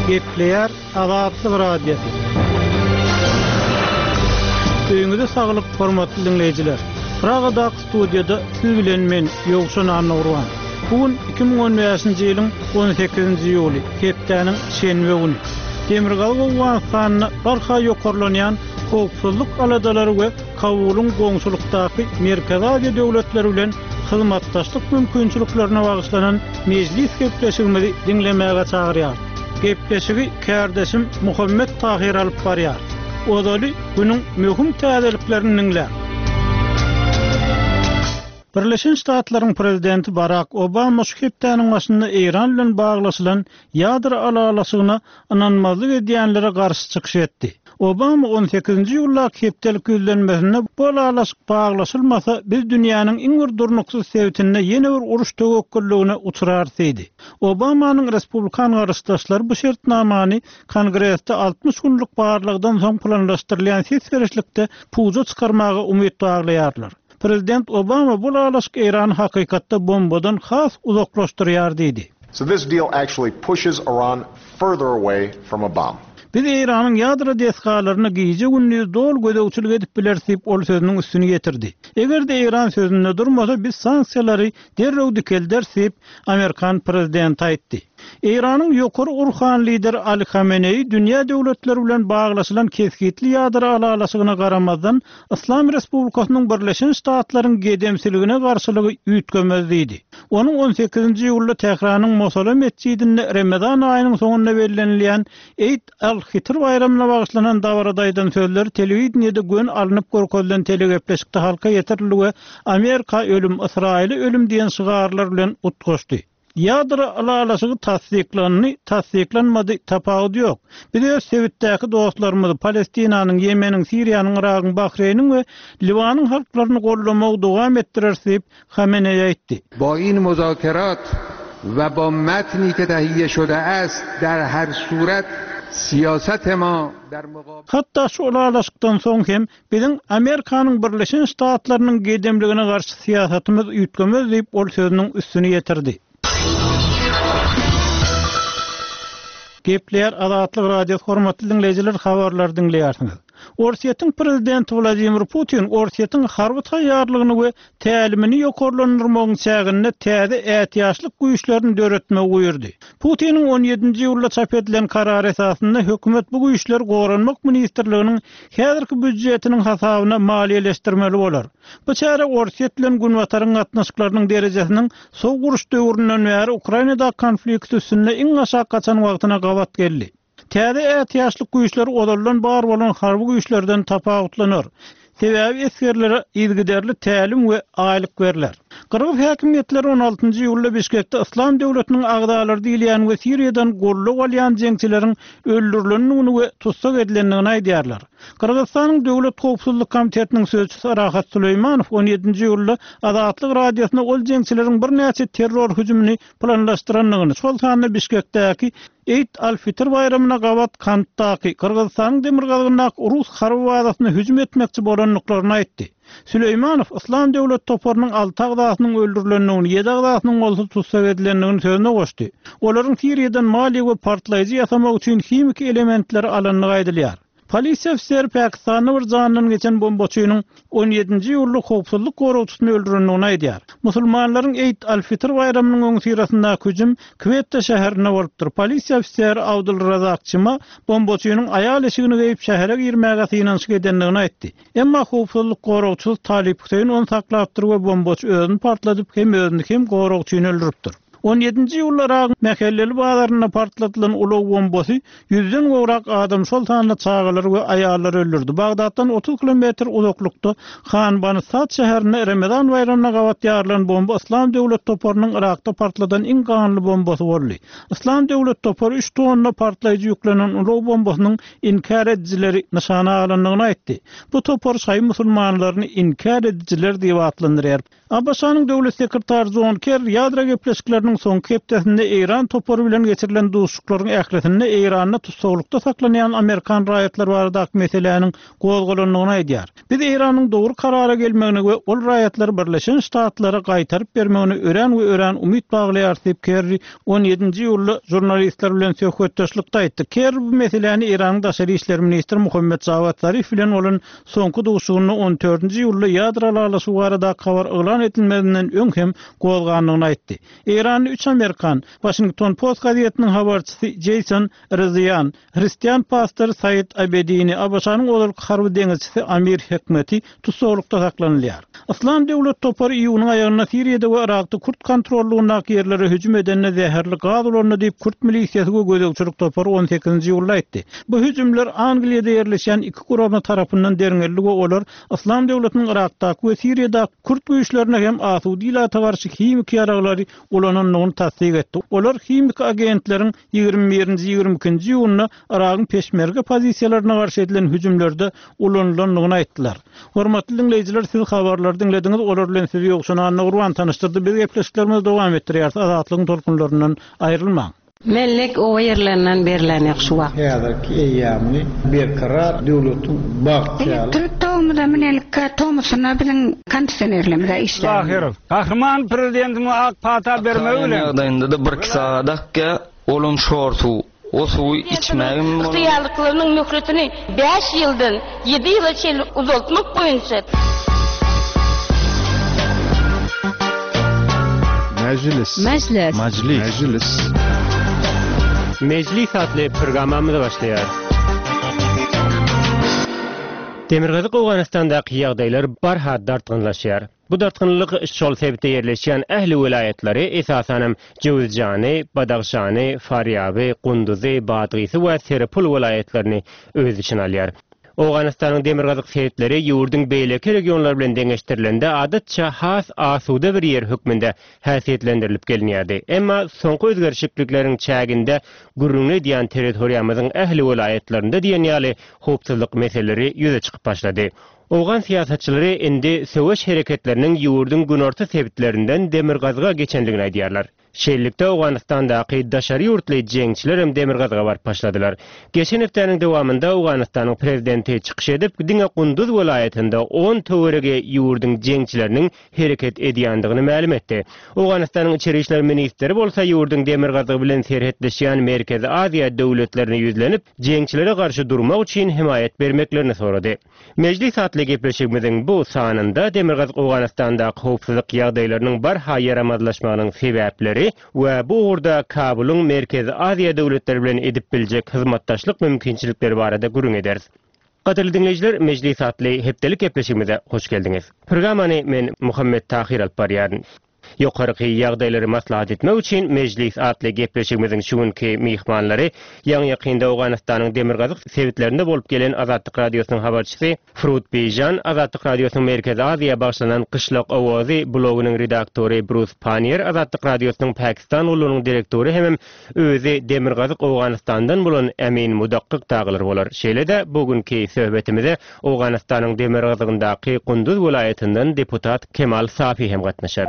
Gepleýär Azatlyk Radiosy. Öýüňize saglyk, hormatly diňleýjiler! Pragadaky studiýada siz bilen men, Ýowşan Annagurban. Bu gün 2015-nji ýylyň 18-nji iýuly, hepdäniň şenbe güni. Demirgazyk Owganystanda barha ýokarlanýan howpsuzlyk aladalary we Kabulyň goňşulykdaky Merkezi Aziýa döwletleri bilen hyzmatdaşlyk mümkinçiliklerine bagyşlanan mejlis gepleşigimizi diňlemäge çagyrýarys. Gepleşigi kärdeşim Muhammet Tahyr alyp barýar. Ozaly günüň möhüm täzeliklerini diňläň. Birleşen Ştatlaryň prezidenti Barak Obama şu hepdäniň başynda Eýran bilen baglaşylan ýadro ylalaşygyna ynanmazlyk edýänlere garşy çykyş etdi. Obama on sekizinji iýuldaky hepdelik ýüzlenmesinde bu ylalaşyk baglaşylmasa, biz dünýäniň iň bir durnuksyz sebitinde ýene bir uruş töwekgelligine uçrarys diýdi. Obamanyň respublikan garşydaşlary bu şertnamany Kongresde 60 günlük barlagdan soň planlaşdyrylýan ses berişlikde puja çykarmaga umyt baglaýarlar. Prezident Obama bu ylalaşyk Eýrany hakykatda bombadan has uzaklaşdyrýar diýdi. So this deal actually pushes Iran further away from a bomb. Biz Eýranyň ýadro desgalaryna gije-gündiz doly gözegçilik edip bileris diýip, ol sözüniň üstüni ýetirdi. Eger-de Eýran sözünde durmasa, biz sanksiýalary derrew dikelderis diýip, amerikan prezidenti aýtdy. Eýranyň ýokary urhan lideri Ali Hameneýi dünýä döwletleri bilen baglaşylan kesgitli ýadro ylalaşygyna garamazdan, Yslam Respublikasynyň Birleşen Ştatlaryň gedemsiligine garşylygy üýtgemez diýdi. Onuň on sekizinji iýulda Tähranyň Mosala metjidinde Remezan aýynyň soňunda bellenilýän Eid al-Fitr baýramyna bagyşlanan dabarada aýdan sözleri telewideniýede göni alnyp görkezilen telegepleşikde halka ýetirildi we Amerika ölüm, Ysraýyla ölüm diýen şygarlar bilen utgaşdy. Ýadro ylalaşygy tassyklandy, tassyklanmady, tapawudy ýok. Biz öz sebitdäki dostlarymyzy, Palestinanyň, Ýemeniň, Siriýanyň, Yragyň, Bahreýniň we Liwanyň halklaryny goldamagy dowam etdireris diýip, Hameneýi aýtdy. Ba in muzakerat we ba matni ke tahiye şode ast dar har surat siyasat ma dar muqabil. Hatda şu ylalaşykdan soň hem Biziň Amerikanyň Birleşen Ştatlarynyň gedemligine garşy syýasatymyz üýtgemez diýip, ol sözüniň üstüni ýetirdi. Gepleýär Azatlyk Radiosy hormatly diňleýjiler habarlary diňleýärsiňiz. Orsýetiň prezidenti Wladimir Putin Orsýetiň harby taýýarlygyny we tälimini ýokarlandyrmagyň çäginde täze ätiýaçlyk güýçlerini döretmegi buýurdy. Putiniň on ýedinji iýulda çap edilen karary esasynda hökümet bu güýçleri Goranmak ministrliginiň häzirki býudjetiniň hasabyna maliýeleşdirmeli bolar. Bu çäre Orsýet bilen Günbataryň gatnaşyklarynyň derejesiniň Sowuk uruş döwründen bäri Ukrainadaky konflikt üstünde iň aşak gaçan wagtyna gabat geldi. Täze ätiýaçlyk güýçleri ozaldan bar bolan harby güýçlerden tapawutlanar. Sebäbi esgerlere yzygiderli tälim we aýlyk berler. Gyrgyz häkimiýetleri on altynjy iýulda Bişkekde Yslam döwletiniň agzalary diýilýän we Siriýadan goldaw alýan jeňçileriň öldürilendigini we tussag edilendigini aýdýarlar. Gyrgyzystanyň Döwlet howpsuzlyk komitetiniň sözçüsi Rahat Süleýmanow on ýedinji iýulda Azatlyk Radiosyna ol jeňçileriň birnäçe terror hüjümini planlaşdyrandygyny, şol sanda Bişkekdäki Eid al-Fitr baýramyna gabat Kantdaky, Gyrgyzystanyň demirgazygyndaky rus harby bazasyna hüjüm etmekçi bolandyklaryny aýtdy. Süleýmanow Yslam döwlet toparynyň alty agzasynyň öldürilendigini, ýedi agzasynyň bolsa tussag edilendigini sözüne goşdy. Olaryň Siriýadan maliýe we partlaýjy ýasamak üçin himiki elementleri alandygy aýdylýar. Polisiýa ofiseri Pakistanda bir janyndan geçen bombaçynyň on ýedinji iýulda howpsuzlyk goragçysyny öldürendigini aýdýar. Musulmanlaryň Eid al-Fitr baýramynyň öňüsyrasyndaky hüjüm Kwetta şäherinde bolupdyr. Polisiýa ofiseri Abdul Razak Çima bombaçynyň aýal eşigini geýip şähere girmäge synanyşyk edendigini aýtdy. Emma howpsuzlyk goragçysy Talip Hüseýin ony saklapdyr we bombaçy özüni partladyp hem özüni hem goragçyny öldüripdir. On ýedinji iýulda Yragyň Mähelleli bazarynda partladylan ulag bombasy ýüzden gowrak adam, şol sanda çagalary we aýallary öldürdi. Bagdatdan 30 kilometr uzaklykda Han Bani Sad şäherinde Remezan baýramyna gabat ýarylan bomba Yslam döwlet toparynyň Yrakda partladan iň ganly bombasy boldy. Yslam döwlet topary üç tonna partlaýjy ýüklenen ulag bombasynyň inkär edijileri nyşana alandygyny aýtdy. Bu topar şaýy musulmanlaryny inkär edijiler diýip atlandyrýar. ABŞ-nyň Döwlet sekretary Jon Kerri ýadro gepleşikleriniň. saparynyň soňky hepdesinde Eýran topary bilen geçirilen duşuşyklaryň ählisinde Eýranda tussaglykda saklanýan amerikan raýatlary baradaky meseläniň gozgalandygyny aýdýar. Biz Eýranyň dogry karara gelmegine we ol raýatlary Birleşen Ştatlara gaýtaryp bermegine örän we örän umyt baglaýarys diýip, Kerri on ýedinji iýulda žurnalistler bilen söhbetdeşlikde aýtdy. Kerri bu meseläni Eýranyň daşary işler ministri Muhammet Jawad Zarif bilen bolan soňky duşuşygynda on dördünji iýulda ýadro ylalaşygy baradaky habar yglan edilmezinden öň hem gozgandygyny aýtdy. Eýranda üç amerikan, Waşington Post gazetiniň habarçysy Jeýson Rezaian, Hristian pastory Said Abedini, ABŞ-nyň ozalky harby deňizçisi Amir Hekmeti tussaglykda saklanylýar. Yslam döwlet topary iýunyň aýagynda Siriýada we Yrakda kürt kontrollygyndaky ýerlere hüjüm edende zäherli gaz ulandy diýip, kürt milisiýasy we gözegçilik topary on sekizinji iýulda aýtdy. Bu hüjümler Angliýada ýerleşýän iki gurama tarapyndan derňeldi we olar Yslam döwletiniň Yrakdaky we Siriýadaky kürt güýçlerine hem asuda ilata garşy himiki ýaraglary ulanandygyny tassyk etdi. Olar himiki agentleriň 21-nji, 22-nji iýunda Yragyň peşmerge pozisiýalaryna garşy edilen hüjümlerde ulanylandygyny aýtdylar. Hormatly diňleýjiler, siz habarlary diňlediňiz, olar bilen sizi Ýowşan Annagurban tanyşdyrdy. Biz gepleşiklerimizi dowam etdirýäris. Azatlygyň tolkunlaryndan aýrylmaň. Mellek oba ýerlerinden berlenok şu wagt. Häzirki eýýamyny Berkarar döwletiň bagtyýarlyk. Elektrik togumyza münelikkä tomusuna biziň kondisionerlerimiz-ä işlänok. Tahyrow. Gahryman Prezidentimiziň ak pata bermegi bilen. Ýagdaýynda-da birki sagat akýar, olam şor suw. O suwy içmägem bolanok. Ygtyýarlyklarynyň möhletini bäş ýyldan ýedi ýyla çenli uzaltmak boýunça. Mejlis. Mejlis. Majlis. Mejlis. Mejlis atly programmamyz başlaýar. Demirgazyk Owganystandaky ýagdaýlar barha dartgynlaşýar. Bu dartgynlylyk şol sebitde ýerleşýän ähli welaýatlary, esasanam Jöwüzjany, Badagşany, Farýaby, Gunduzy, Badgysy we Serepul welaýatlaryny öz içine alýar. Owganystanyň demirgazyk sebitleri ýurduň beýleki regionlary bilen deňeşdirilende adatça has asuda bir ýer hökmünde häsiýetlendirilip gelinýärdi. Emma soňky özgerişiklikleriň çäginde gürrüňini edýän territoriýamyzyň ähli welaýatlarynda diýen ýaly howpsuzlyk meseleleri ýüze çykyp başlady. Owgan syýasatçylary indi söweş hereketleriniň ýurduň günorta sebitlerinden demirgazyga geçendigini aýdýarlar. Şeýlelikde, Owganystandaky daşary ýurtly jeňçilerem demirgazyga baryp başladylar. Geçen hepdäniň dowamynda Owganystanyň prezidenti çykyş edip, diňe Gunduz welaýatynda on töweregi ýurduň jeňçileriniň hereket edýändigini mälim etdi. Owganystanyň içeri işler ministri bolsa ýurduň demirgazygy bilen serhetleşýän Merkezi Aziýa döwletlerine ýüzlenip, jeňçilere garşy durmak üçin hemaýat bermeklerini sorady. Mejlis atly gepleşigimiziň bu sanynda Demirgazyk Owganystandaky howpsuzlyk ýagdaýlarynyň barha ýaramazlaşmagynyň sebäpleri we bu ugurda Kabulyň Merkezi Aziýa döwletleri bilen edip biljek hyzmatdaşlyk mümkinçilikleri barada gürrüň ederis. Gadyrly diňleýjiler, Mejlis atly hepdelik gepleşigimize hoş geldiňiz. Programmany men Muhammet Tahyr alyp barýaryn. Ýokarky ýagdaýlary maslahat etmek üçin Mejlis atly gepleşigimiziň şu günki myhmanlary ýaňy-ýakynda Owganystanyň demirgazyk sebitlerinde bolup gelen Azatlyk Radiosynyň habarçysy Frut Bijan, Azatlyk Radiosynyň Merkezi Aziýa bagyşlanan Gyşlak owazy blogynyň redaktory Brus Panniýer, Azatlyk Radiosynyň Pakistan gullugynyň direktory hemem Özi Demirgazyk Owganystandan bolan Emin Mudakkyk dagylar bolar. Şeýle-de bu günki söhbetimize Owganystanyň demirgazygyndaky Gunduz welaýatyndan deputat Kemal Safi hem gatnaşar.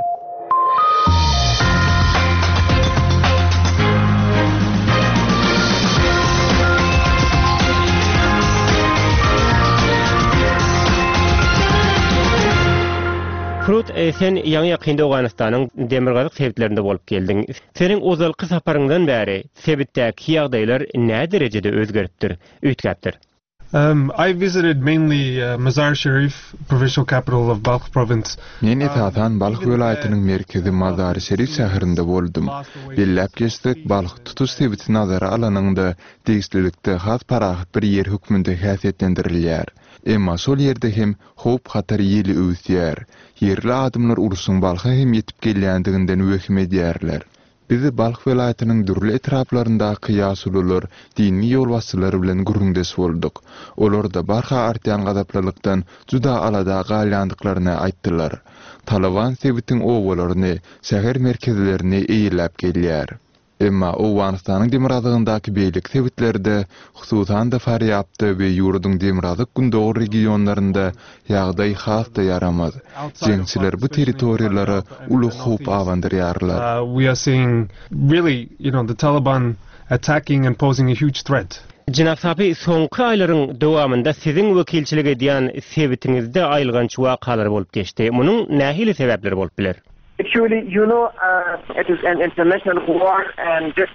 Frut, sen ýaňy-ýakynda Owganystanyň demirgazyk sebitlerinde bolup geldiň. Seniň ozalky saparyňdan bäri sebitdäki ýagdaýlar näderejede özgeripdir, üýtgäpdir? I visited mainly Mazar-i-Sharif, provincial capital of Balkh province. Men esasan Balh welaýatynyň merkezi Mazar-i-Şerif şäherinde boldum. Belläp geçsek, Balh tutuş sebiti nazara alanyňda, degişlilikde has parahat bir ýer hökmünde häsiýetlendirilýär. Emma şol ýerde hem Howp-hatar ýeli öwüsýär. Ýerli adamlar urşuň Balha hem ýetip gelýändiginden wehim edýärler. Biz Balh welaýatynyň dürli etraplaryndaky ýaşulular, dini ýolbaşçylar bilen gürrüňdeş bolduk. Olar-da barha artýan gazaplylykdan juda alada galýandyklaryny aýtdylar. Talyban sebitiň obalaryny, şäher merkezlerini eýeläp gelýär. Emma Owganystanyň demirgazygyndaky beýleki sebitlerde, hususan-da Farýabda we ýurduň demirgazyk-gündogar regionlarynda ýagdaý has-da ýaramaz. Jeňçiler bu territoriýalara uly howp abandyrýarlar. Jenap Safi, soňky aýlaryň dowamynda siziň wekilçilik edýän sebitiňizde aýylganç wakalar bolup geçdi. Munuň nähili sebäpleri bolup biler? Actually, you know, it is an international war and this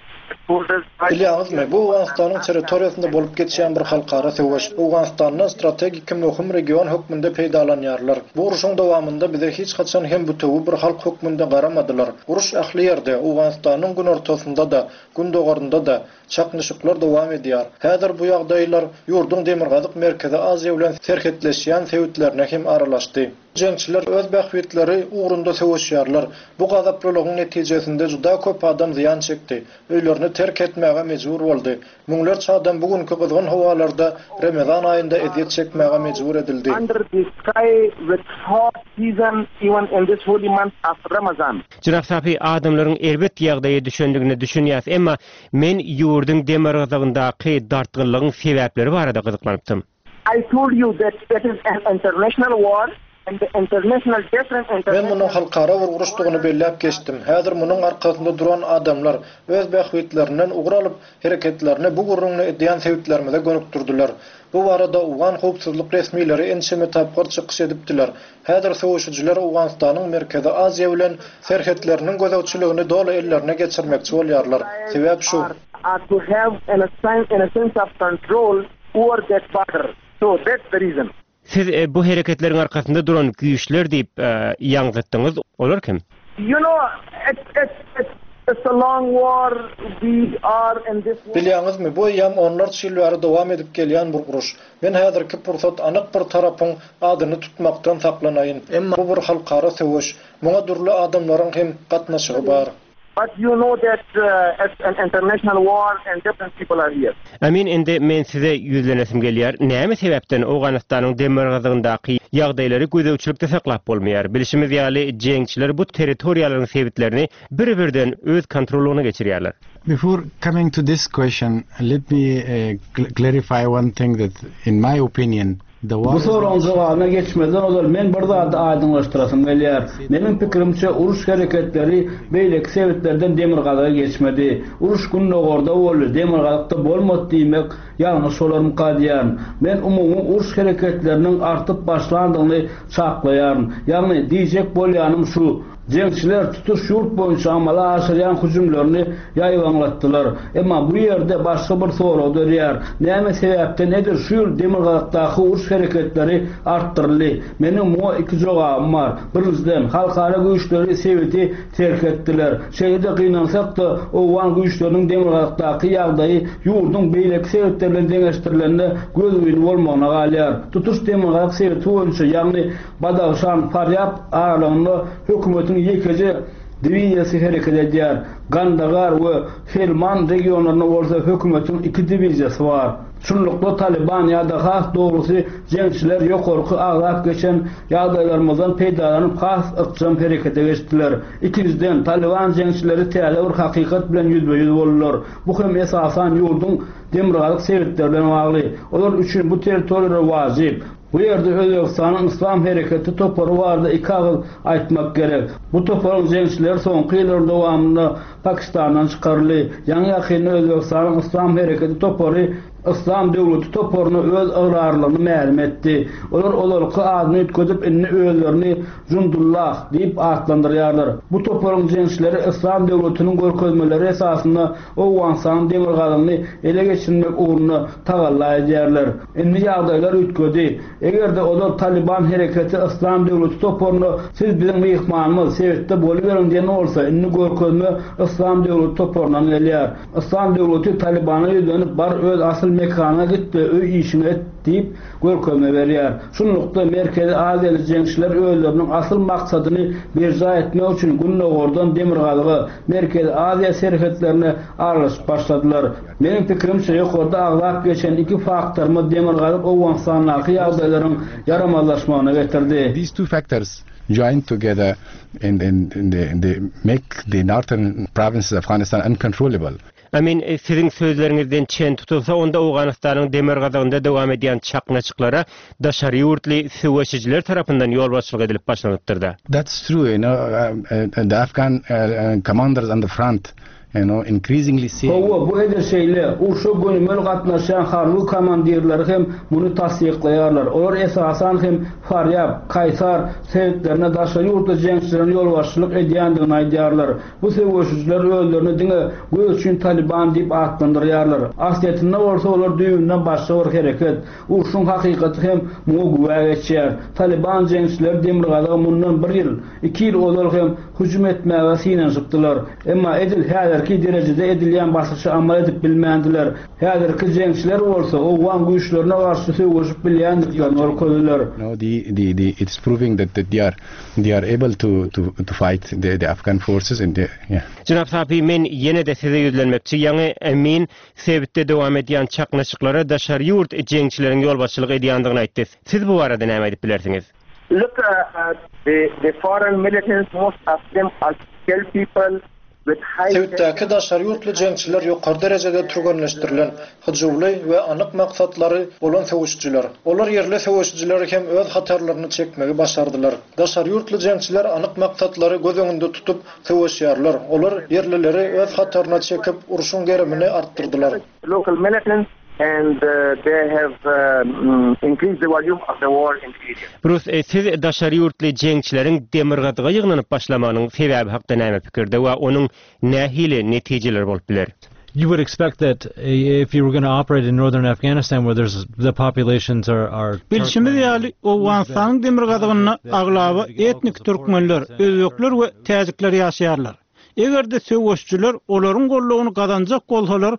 borders. Bilýäňizmi, bu Owganystanyň territoriýasynda bolup geçýän bir halkara söweş. Owganystandan strategiki möhüm region hökmünde peýdalanýarlar. Bu urşuň dowamynda bize hiç haçan hem bütewi bir halk hökmünde garamadylar. Uruş ähli ýerde, Owganystanyň günortasynda-da, gündogarynda-da, çaknyşyklar dowam edýär. Häzir bu ýagdaýlar ýurduň demirgazyk Merkezi Aziýa bilen serhetleşýän sebitlerine hem aralaşdy. Jeňçiler öz bähbitleri ugrunda söweşýärler. Bu gazaplylygyň netijesinde juda köp adam zyýan çekdi, öýlerini terk etmäge mejbur boldy. Müňlerçe adam bu günki gyzgyn howalarda Remezan aýynda ezýet çekmäge mejbur edildi. Jenap Safi, adamlaryň erbet ýagdaýa düşendigine düşünýäs, emma men ýurduň demirgazygyndaky dartgynlygyň sebäpleri barada gyzyklanypdym. I told you that it is an international war and the international different international. Men munuň halkara bir uruşdygyny belläp geçdim. Häzir munuň arkasynda duran adamlar öz bähbitlerinden ugur alyp, hereketlerini bu gürrüňini edýän sebitlerimize gönükdirdiler. Bu barada owgan howpsuzlyk resmileri ençeme tapgyr çykyş edipdiler. Häzir söweşijiler Owganystanyň Merkezi Aziýa bilen serhetleriniň gözegçiligini doly ellerine geçirmekçi bolýarlar. Sebäp şu. Are to have an a sense of control over that border. So that's the reason. Siz bu hereketleriň arkasynda duran güýçler diýip ýaňzytdyňyz, olar kim? You know, it's, it's, it's, it's a long war, we are in this war. Bilýäňizmi, bu eýýäm onlarça ýyl bäri dowam edip gelýän bir uruş. Men häzirki pursat anyk bir tarapyň adyny tutmakdan saklanaýyn. Emma bu bir halkara söweş. Muňa dürli adamlaryň hem gatnaşygy bar. But you know that it's an international war and different people are here. Amin indi men size ýüzlenesim gelýär, näme sebäpden Owganystanyň demirgazygyndaky ýagdaýlary gözegçilikde saklap bolmaýar? Bilşimiz ýaly jeňçiler bu territoriýalaryň sebitlerini bir-birden öz kontrollygyna geçirýärler. Before coming to this question, let me clarify one thing that in my opinion Bu soragyň jogabyna geçmezden ozal men bir zady aýdyňlaşdyrasym gelýär. Meniň pikirimçe, uruş hereketleri beýleki sebitlerden demirgazyga geçmedi. Uruş gündogarda boldy, demirgazykda bolmady diýmek ýalňyş bolarmyka diýýärin. Men umumy uruş hereketleriniň artyp başlandygyny çaklaýaryn. Ýagny, diýjek bolýanym şu. Jeňçiler tutuş ýurt boýunça amala aşyrýan hüjümlerini ýaýbaňlatdylar. Emma bu ýerde başga bir sorag dörýär, näme sebäpden edil şu ýyl demirgazykdaky uruş hereketleri artdyryldy? Meniň muňa iki jogabym bar. Birinjiden, halkara güýçleri sebiti terk etdiler. Şeýle-de gynansak-da, owgan güýçleriniň demirgazykdaky ýagdaýy ýurduň beýleki sebitleri bilen deňeşdirilende gözgyny bolmagyna galýar. Tutuş demirgazyk sebiti boýunça, ýagny Badahşan, Farýab aralygynda hökümetiň ýekeje diwiziýasy hereket edýär. Gandagar we Helmand regionlarynda bolsa hökümetiň iki diwiziýasy bar. Şunlukda Talyban ýa-da has dogrusy jeňçiler ýokarky agzap geçen ýagdaýlarymyzdan peýdalanyp has ykjam herekete geçdiler. Ikinjiden, Talyban jeňçileri täze bir hakykat bilen ýüzbe-ýüz boldular. Bu hem esasan ýurduň demirgazyk sebitleri bilen bagly. Olar üçin bu territoriýalar wajyp. Bu ýerde Özbegistanyň Yslam hereketi topary barada iki agyz aýtmak gerek. Bu toparyň jeňçileri soňky ýyllaryň dowamynda Pakistandan çykaryldy. Ýaňy-ýakynda Özbegistanyň Yslam hereketi topary Yslam döwleti toparyna öz ygrarlylygyny mälim etdi. Olar ozalky adyny üýtgedip, indi özlerini Jundullah diýip atlandyrýarlar. Bu toparyň jeňçileri Yslam döwletiniň görkezmeleri esasynda Owganystanyň demirgazygyny ele geçirmek ugrunda tagalla edýärler. Indi ýagdaýlar üýtgedi. Eger-de ozal Talyban hereketi Yslam döwleti toparyna siz biziň myhmanymyz, sebitde boluberiň diýen bolsa, indi görkezme Yslam döwleti toparyndan gelýär. Yslam döwleti Talybana ýüzlenip bar öz asyl. mekanyňa git we öý işiňi et diýip, görkezme berýär. Şunlukda, Merkezi Aziýaly jeňçiler özleriniň asyl maksadyny berjaý etmek üçin gündogardan demirgazyga, Merkezi Aziýa serhetlerine aralaşyp başladylar. Meniň pikirimçe, ýokarda agzap geçen iki faktorymyz demirgazyk Owganystandaky ýagdaýlaryň ýaramazlaşmagyna getirdi. These two factors joined together and and the make the northern provinces of Afghanistan uncontrollable. Amin, siziň sözleriňizden çen tutulsa, onda Owganystanyň demirgazygynda dowam edýän çaknyşyklara daşary ýurtly söweşijiler tarapyndan ýolbaşçylyk edilip başlanypdyr-da. That's true, you know, the Afghan commanders on the front, you know, increasingly seeing. Hawa, bu edil şeýle. Urşa gönümel gatnaşýan harby komandirleri hem muny tassyklaýarlar. Olar esasan hem Farýab, Kaýsar sebitlerine daşary ýurtly jeňçileriň ýolbaşçylyk edýändigini aýdýarlar. Bu söweşijiler özlerini diňe göz üçin Talyban diýip atlandyrýarlar. Aslyýetinde bolsa olar düýbünden başga bir hereket. Urşuň hakykaty hem muňa güwä geçýär. Talyban jeňçileri demirgazyga mundan bir ýyl, iki ýyl ozal hem hüjüm etmäge synanyşypdylar. Emma edil häzirki derejede edilýän basyşy amal edip bilmändiler. Häzirki jeňçiler bolsa owgan güýçlerine garşy söweşip bilýändiklerini görkezdiler. No the the the it's proving that that they are they are able to to to fight the the Afghan forces and the yeah. Jenap Sapi men ýene-de size ýüzlenmekçi, ýaňy Emin sebitde dowam edýän çaknyşyklara daşary ýurt jeňçileriň ýolbaşçylyk edýändigini aýtdy. Siz bu barada näme aýdyp bilersiňiz? Look the the foreign militants most of them are skilled people with high Sebitdäki daşary ýurtly jeňçiler ýokary derejede türgenleşdirilen, hyjuwly we anyk maksatlary bolan söweşijiler. Olar ýerli söweşijileri hem öz hatarlaryna çekmegi başardylar. Daşary ýurtly jeňçiler anyk maksatlary göz öňünde tutup söweşýärler. Olar ýerlileri öz hataryna çekip, urşuň gerimini artdyrdylar. Local militants and they have increased the volume of the war in the area. Brus, siz daşary ýurtly jeňçileriň demirgazyga ýygnanyp başlamagynyň sebäbi hakda näme pikirde we onuň nähili netijeleri bolup biler? You would expect that if you were going to operate in northern Afghanistan where there's the populations are are Bilşimiz ýaly, Owganystanyň demirgazygynda aglaba etnik türkmenler, özbekler we täjikler ýaşaýarlar. Eger-de söweşijiler olaryň goldawyny gazanjak bolsalar,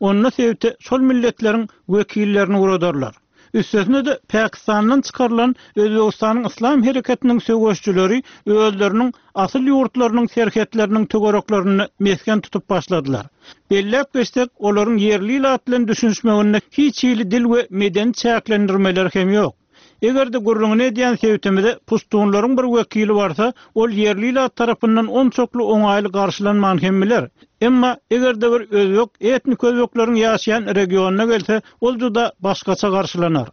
onda sebite şol milletleriň wekillerini ugradarlar. Üstesine-de, Pakistandan çykarylan Özbegistanyň Yslam hereketiniň söweşijileri özleriniň asyl ýurtlarynyň serhetleriniň töwereklerinde mesgen tutup başladylar. Belläp geçsek, olaryň ýerli ilat bilen düşünişmeginde hiç hili dil we medeni çäklendirmeler hem ýok. Eger-de gürrüňini edýän sebitimize puştunlaryň bir wekili barsa, ol ýerli ilat tarapyndan onçakly oňaýly garşylanman hem biler. Emma, eger-de bir özbek etnik özbekleriň ýaşaýan regionyna gelse, ol juda başgaça garşylanar.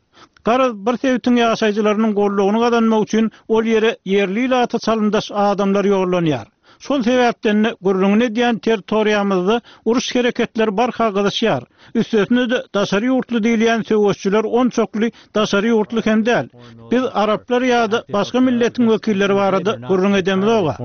Garaz, bir sebitiň ýaşaýjylarynyň goldawyny gazanmak üçin ol ýere ýerli ilata çalymdaş adamlar ýollanýar. Şol sebäpden-de gürrüňini edýän territoriýamyzda uruş hereketleri barha gyzyşýar. Üstesine-de daşary ýurtly diýilýän söweşçiler onçakly daşary ýurtly hem däl. Biz araplar ýa-da başga milletiň wekilleri barada gürrüň edemizog-a.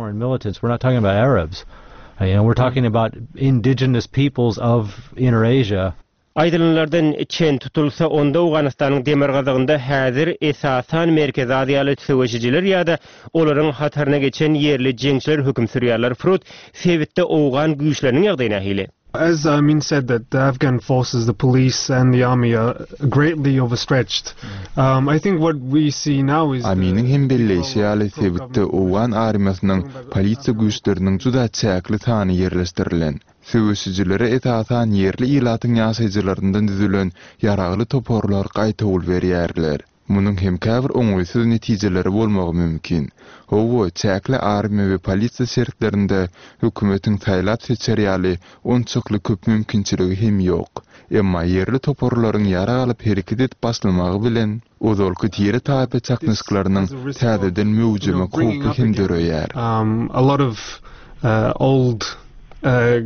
Aýdylanlardan çen tutulsa, onda Owganystanyň demirgazygynda häzir esasan Merkezi Aziýaly söweşijiler ýa-da olaryň hataryna geçen ýerli jeňçiler höküm sürýärler. Frut, sebitde owgan güýçleriniň ýagdaýy nähili? As Amin said that the Afghan forces, the police and the army are greatly overstretched. I think what we see now is the Aminiň hem belleýşi ýaly, sebitde owgan armiýasynyň, polisiýa güýçleriniň juda çäkli sany ýerleşdirilen. Söweşijilere esasan ýerli ilatyň ýaşaýjylaryndan düzülen ýaragly toparlar gaýtawul berýärler. Munuň hem käbir oňaýsyz netijeleri bolmagy mümkin. Hawa, çäkli armiýa we polisiýa şertlerinde hökümetiň saýlap-seçer ýaly onçakly köp mümkinçiligi hem ýok. Emma ýerli toparlaryň ýarag alyp hereket edip başlamagy bilen, ozalky tire-taýpa çaknyşyklarynyň täzeden möwjemek howpy hem döreýär.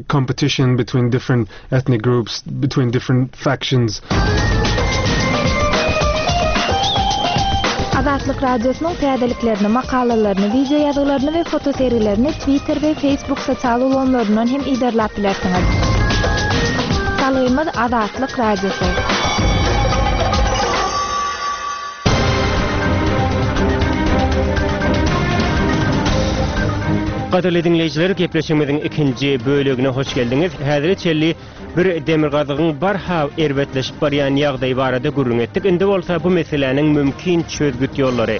Competition between different ethnic groups, between different factions. Azatlyk Radiosynyň täzeliklerini, makalalaryny, wideo ýazgylaryny we fotosergilerini Twitter we Facebook sosial ulgamlaryndan hem yzarlap bilersiňiz. Salgymyz Azatlyk Radiosy. Gadyrly diňleýjiler, gepleşigimiziň ikinji bölegine hoş geldiňiz. Häzire çenli bir demirgazygyň barha erbetleşip barýan ýagdaýy barada gürrüň etdik. Indi bolsa bu meseläniň mümkin çözgüt ýollary,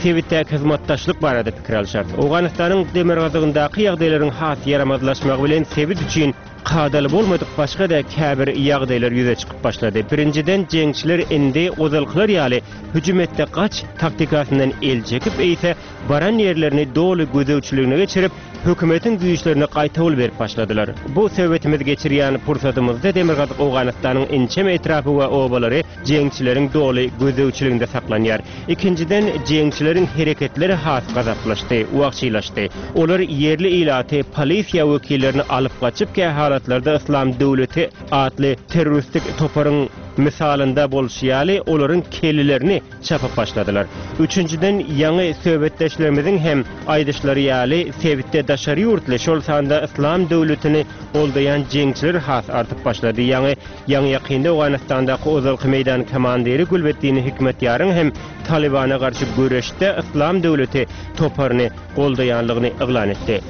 sebitdäki hyzmatdaşlyk barada pikir alyşarys. Owganystanyň demirgazygyndaky ýagdaýlaryň has ýaramazlaşmagy bilen sebit üçin kadaly bolmadyk başga-da käbir ýagdaýlar ýüze çykyp başlady. Birinjiden, jeňçiler indi ozalkylar ýaly hüjüm et-de gaç taktikasyndan el çekip, eýse baran ýerlerini doly gözegçiligine geçirip, hökümetiň güýçlerine gaýtawul berip başladylar. Bu söhbetimizi geçirýän pursadymyzda Demirgazyk Owganystanyň inçeme etrapy we obalary jeňçileriň doly gözegçiliginde saklanýar. Ikinjiden, jeňçileriň hereketleri has gazaplaşdy, wagşylaşdy. Olar ýerli ilaty, polisiýa wekillerini alyp gaçyp, kähalatlarda Yslam döwleti atly terroristik toparyň mysalynda bolşy ýaly, olaryň kellelerini çapyp başladylar. Üçünjiden, ýaňy söhbetdeşlerimiziň hem aýdyşlary ýaly, sebitde daşary ýurtly, şol sanda Yslam döwletini goldaýan jeňçiler has artyp başlady. Ýaňy ýaňy-ýakynda Owganystandaky ozalky meýdan komandiri Gülbeddin Hikmetýaryň hem Talybana garşy göreşde Yslam döwleti toparyny goldaýanlygyny yglan etdi.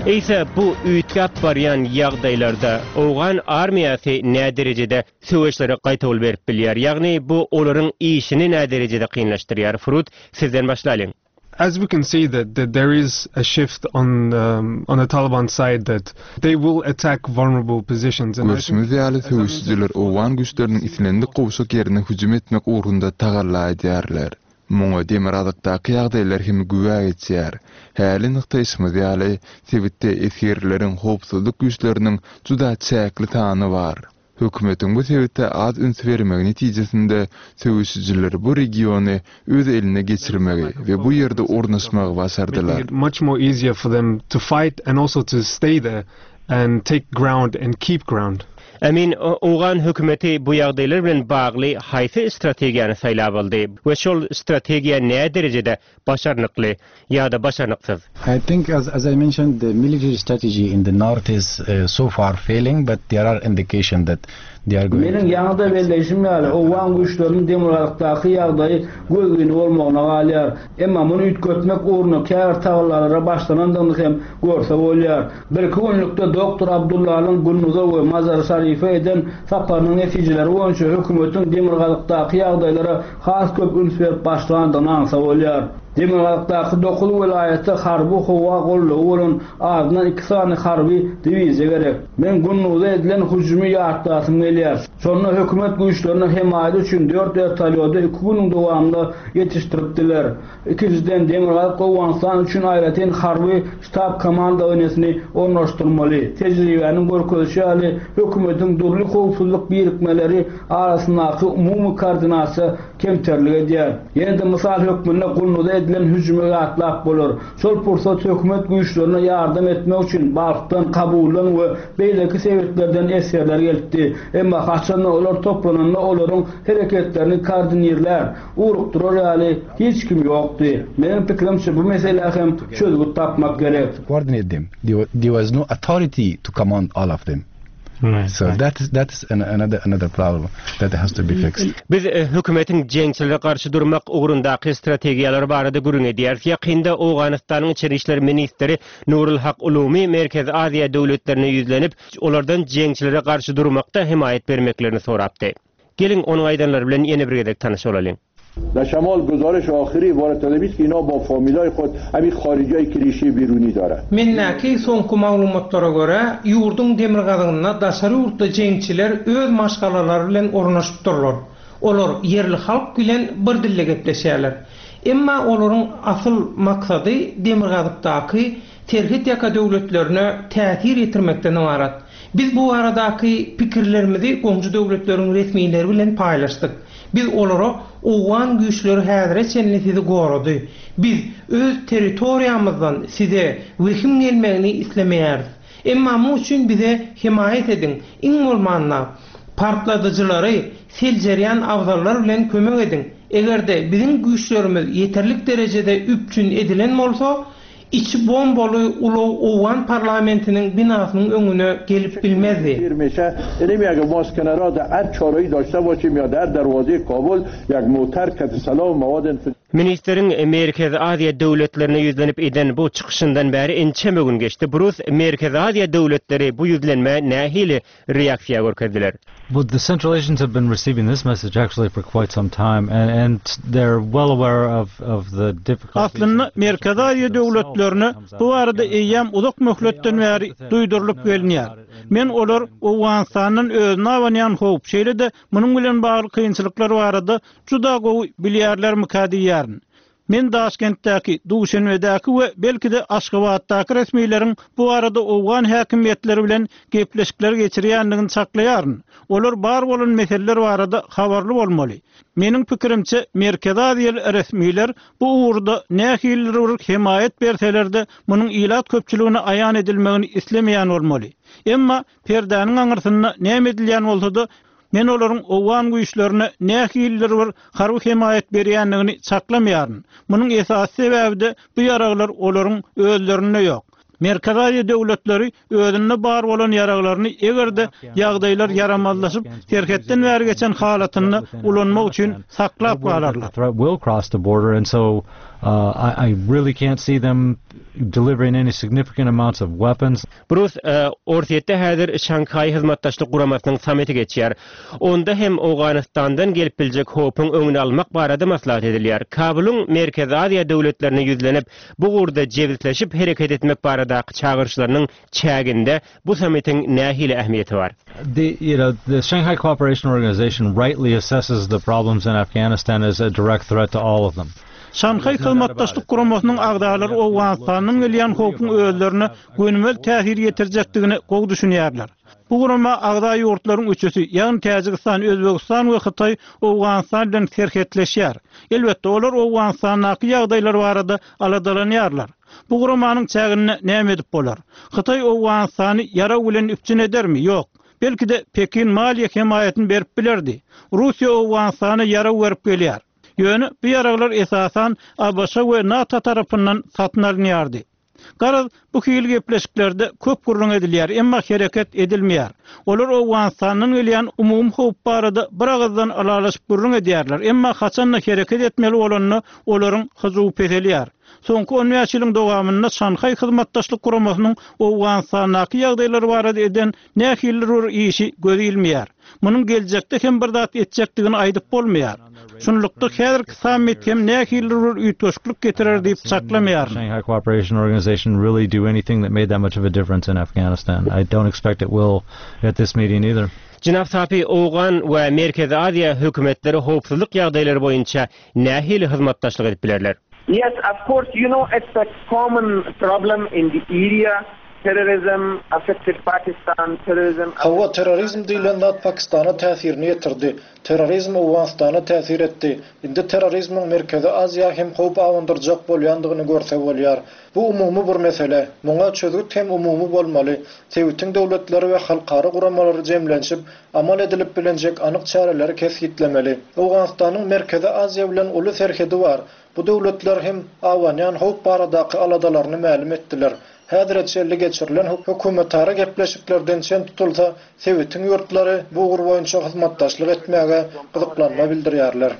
Eýse, bu üýtgäp barýan ýagdaýlarda owgan armiýasy näderejede söweşlere gaýtawul berip bilýär. Ýagny bu olaryň işini näderejede kynlaşdyrýar? Frut, sizden başlalyň. As we can see that that there is a shift on on the Taliban side that they will attack vulnerable positions and Görşümiz ýaly, söweşijiler owgan güýçleriniň islendik gowşak ýerine hüjüm etmek ugrunda tagalla edýärler. Muňa demirgazykdaky ýagdaýlar hem güwä geçýär. Häli nygtaýşymyz ýaly, sebitde esgerleriň, howpsuzlyk güýçleriniň juda çäkli sany bar. Hökümetiň bu sebite az üns bermegi netijesinde söweşijiler bu regiony öz eline geçirmegi we bu ýerde ornaşmagy başardylar. Emin, owgan hökümeti bu ýagdaýlar bilen bagly haýsy strategiýany saýlap aldy we şol strategiýa näderejede başarnykly ýa-da başarnyksyz? I think as as I mentioned the military strategy in the north is so far failing but there are indication that they are going Meniň ýaňy-da belleýşim ýaly, owgan güýçleriniň demirgazykdaky ýagdaýy gözgyny bolmagyna galýar. Emma muny üýtgetmek ugrunda käbir tagallalara başlanandygyny hem görse bolýar. Birki günlükde doktor Abdullanyň Gunduza we Mazary-Şarife eden saparynyň netijeleri boýunça hökümetiň demirgazykdaky ýagdaýlara has köp üns berip başlandygyny aňsa bolýar. Demirgazykdaky dokuz welaýatda harby howa goldawy bolan azyndan iki sany harby diwiziýa gerek. Men Gunduza edilen hüjümi ýatlasym gelýär. Şonda hökümet güýçlerine hemaýat üçin dört wertolýody iki günüň dowamynda ýetişdiripdiler. Ikinjiden, Demirgazyk Owganystan üçin aýratyn harby ştab komandowaniýesini ornaşdyrmaly. Tejribäniň görkezişi ýaly, hökümetiň dürli howpsuzlyk birikmeleri arasyndaky umumy koordinasiýa kemterlik edýär. Ýene-de mysal hökmünde Gunduza edilen hüjümi ýatlap bolar. Şol pursat hökümet güýçlerine ýardam etmek üçin Balhdan, Kabuldan we beýleki sebitlerden esgerler gelipdi. Emma haçanda olar toplananda olaryň hereketlerini koordinirlär, Ugrukdyrar ýaly hiç kim ýokdy. Meniň pikirimçe bu meselä hem çözgüt tapmak gerek. Coordinate them. There was no authority to command all of them. So that is that is another another problem that has to be fixed. Biz hökümetiň jeňçilere garşy durmak ugrundaky strategiýalary barada gürrüň edýäris. Ýakynda Owganystanyň içeri işler ministri Nurul Hak Ulumi Merkezi Aziýa döwletlerine ýüzlenip, olardan jeňçilere garşy durmakda hemaýat bermeklerini sorapdy. Geliň, onuň aýdanlary bilen ýene bir gezek tanyş bolalyň. در شمال گزارش آخری عبارت از است که اینا با فامیلای خود همین خارجی که ریشه بیرونی دارند. Mendäki soňky maglumatlara görä, ýurduň demirgazygynda daşary ýurtly jeňçiler öz maşgalalary bilen ornaşypdyrlar. Olar ýerli halk bilen bir dilde gepleşýärler. Emma olaryň asyl maksady demirgazykdaky serhet ýaka döwletlerine täsir ýetirmekden ybarat. Biz bu baradaky pikirlerimizi goňşy döwletleriň resmileri bilen paýlaşdyk. Biz olara owgan güýçleri häzire çenli sizi gorady. Biz öz territoriýamyzdan size wehim gelmegini islemeýäris. Emma muň üçin bize hemaýat ediň, iň bolmanda, partladyjylary seljerýän abzallar bilen kömek ediň. Eger-de biziň güýçlerimiz ýeterlik derejede üpjün edilen bolsa, Içi bombaly ulag owgan parlamentiniň binasynyň öňüne gelip bilmezdi. Ministriň Merkezi Aziýa döwletlerine ýüzlenip eden bu çykyşyndan bäri ençeme gün geçdi. Brus, Merkezi Aziýa döwletleri bu ýüzlenmä nähili reaksiýa görkezdiler? Well, the Central Asians have been receiving this message actually for quite some time and and they're well aware of of the difficulties. Aslynda Merkezi Aziýa döwletlerine bu barada eýýäm uzak möhletden bäri duýdurylyp gelinýär. Men olar Owganystandan özüne abanýan howp, şeýle-de munuň bilen bagly kynçylyklar barada juda gowy bilýärlermikä diýýärin. Men Daşkentdäki, Duşenbedäki we belki-de Aşgabatdaky resmileriň bu barada owgan häkimiýetleri bilen gepleşikler geçirýändigini çaklaýaryn. Olar bar bolan meseleler barada habarly bolmaly. Meniň pikirimçe, Merkezi Aziýaly resmiler bu ugurda nähilidir bir hemaýat berseler-de, munuň ilat köpçüligine aýan edilmegini islemeýän bolmaly. Emma perdäniň aňyrsynda näme edilýän bolsa-da, Men olaryň owgan güýçlerine nähilidir bir harby hemaýat berýändigini çaklamaýaryn. Munuň esasy sebäbi-de bu ýaraglar olaryň özlerinde ýok. Merkezi Aziýa döwletleri özünde bar bolan ýaraglaryny eger-de ýagdaýlar ýaramazlaşyp, serhetden bäri geçen halatynda ulanmak üçin saklap galarlar. Brus, Orsýetde häzir Şanhaý Hyzmatdaşlyk Guramasynyň sammiti geçýär. Onda hem Owganystandan gelip biljek howpuň öňüni almak barada maslahat edilýär. Kabulyň Merkezi Aziýa döwletlerine ýüzlenip, bu ugurda jebisleşip hereket etmek baradaky çagyryşlarynyň çäginde bu sammitiň nähili ähmiýeti bar? The, you know, the Shanghai Cooperation Organization rightly assesses the problems in Afghanistan as a direct threat to all of them. Şanhaý Hyzmatdaşlyk Guramasynyň agzalary Owganystandan gelýän howpuň özlerine gönümel täsir ýetirjekdigine gowy düşünýärler. Bu gurama agza ýurtlaryň üçüsi, ýagny Täjigistan, Özbegistan we Hytaý Owganystan bilen serhetleşýär. Elbetde, olar Owganystandaky ýagdaýlar barada aladalanýarlar. Bu guramanyň çäginde näme edip bolar? Hytaý Owganystany ýarag bilen üpjün edermi? Ýok. Belki-de, Pekin maliýe hemaýatyny berip bilerdi. Russiýa Owganystana ýarag berip gelýär. Ýöne bu ýaraglar esasan ABŞ we NATO tarapyndan satyn alynýardy. Garaz, bu hili gepleşiklerde köp gürrüň edilýär, emma hereket edilmeýär. Olar Owganystandan gelýän umumy howp barada bir agyzdan ylalaşyp gürrüň edýärler, emma haçan-da hereket etmeli bolanda olaryň hyjuwy peselýär. Soňky on bäş ýylyň dowamynda Şanhaý Hyzmatdaşlyk Guramasynyň Owganystandaky ýagdaýlar barada eden nähilidir bir işi göze ilmeýär. Munuň geljekde hem bir zat etjekdigini aýdyp bolmaýar. Şunlukda häzirki sammit hem nähilidir bir üýtgeşiklik getirer diýip çaklamaýaryn. Shanghai Cooperation Organization really do anything that made that much of a difference in Afghanistan. I don't expect it will at this meeting either. Jenap Sapi, owgan we Merkezi Aziýa hökümetleri howpsuzlyk ýagdaýlary boýunça nähili hyzmatdaşlyk edip bilerler? Yes, of course, you know, it's a common problem in the area, terrorism affected Pakistan, terrorism. Hawa, terrorizm diýlen zat Pakistana täsirini ýetirdi. Terrorizm Owganystana täsir etdi. Indi terrorizmiň Merkezi Aziýa hem howp abandyrjak bolýandygyny görse bolýar. Bu umumy bir mesele. Muňa çözgüt hem umumy bolmaly. Sebitiň döwletleri we halkara guramalary jemlenşip, amal edilip bilinjek anyk çäreleri kesgitlemeli. Owganystanyň Merkezi Aziýa bilen uly serhedi bar. Bu döwletler hem abanýan howp baradaky aladalaryny mälim etdiler. Häzire çenli geçirilen hökümetara gepleşiklerden çen tutulsa, sebitiň ýurtlary bu ugur boýunça hyzmatdaşlyk etmäge gyzyklanma bildirýärler.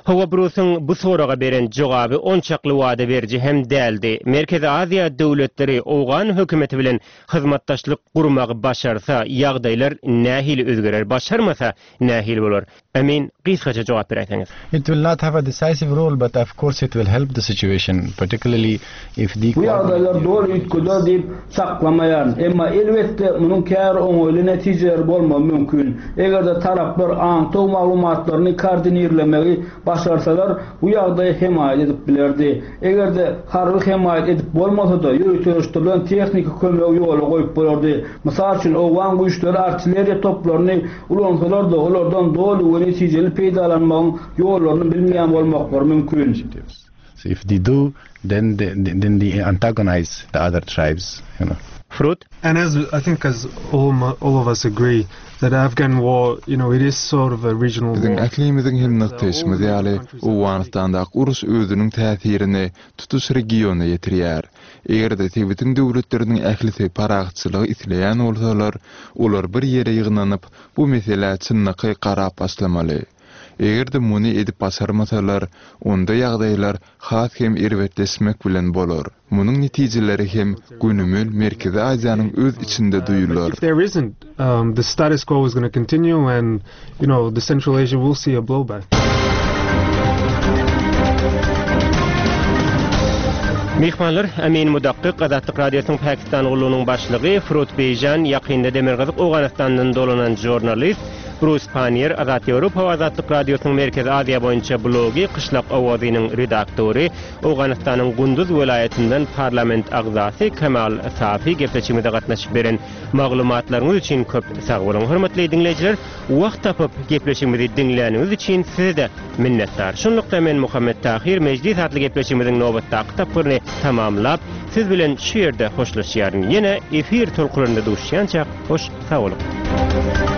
Hawa, Brusyň bu soraga beren jogaby onçakly wada beriji hem däldi. Merkezi Aziýa döwletleri owgan hökümeti bilen hyzmatdaşlyk gurmagy başarsa, ýagdaýlar nähili özgerer, başarmasa nähili bolar? Emin, gysgaça jogap beräýseňiz. It will not have a decisive role, but of course it will help the situation, particularly if the. Bu ýagdaýlar doly üýtgeder diýip çaklamaýaryn. Emma, elbetde, munuň käbir oňaýly netijeleri bolmagy mümkin. Eger-de taraplar aňtaw maglumatlaryny koordinirlemegi başarsalar, bu ýagdaý hemaýat edip bilerdi. Eger-de harby hemaýat edip bolmasa-da, ýöriteleşdirilen tehniki kömegi ýola goýup bolardy. Mysal üçin, owgan güýçleri artilleriýa toplaryny ulansalar-da, olardan doly we netijeli peýdalanmagyň ýollaryny bilmeýän bolmaklary mümkin. So if they do, then they, then they antagonize the other tribes, you know. Frut? And as I think as all, all of us agree that Afghan war, you know, it is sort of a regional Biziň war. ählimiziň hem nygtaýşymyz ýaly, Owganystandaky uruş özüniň täsirini tutuş regiona ýetirýär. Eger-de sebitiň döwletleriniň ählisi parahatçylygy isleýän bolsalar, olar bir ýere ýygnanyp, bu meselä çynlakaý garap başlamaly. Eger-de muny edip başarmasalar, onda ýagdaýlar has hem erbetleşmek bilen bolar. Munuň netijeleri hem gönümel Merkezi Aziýanyň öz içinde duýular. If there isn't, um, the status quo is going to continue and, you know, the Central Asia will see a blowback. Myhmanlar Amin Mudakkyk, Azatlyk Radiosynyň Pakistan gullugynyň başlygy, Frut Beýjan, ýakynda Demirgazyk Owganystandan dolanan žurnalist, Brus Panniýer, Azat Ýewropa we Azatlyk Radiosynyň Merkezi Aziýa boýunça blogy Kyşlak owazynyň redaktory, Owganystanyň Gunduz welaýatyndan parlament agzasy Kemal Safi gepleşigimize gatnaşyp beren maglumatlaryňyz üçin köp sag boluň. Hormatly diňleýjiler, wagt tapyp gepleşigimizi diňläniňiz üçin size-de minnetdar. Şunlukda men Muhammet Tahyr Mejlis atly gepleşigimiziň nobatdaky tapgyryny tamamlap, siz bilen şu ýerde hoşlaşýaryn. Ýene efir tolkunlarynda duşýançak hoş sag boluň.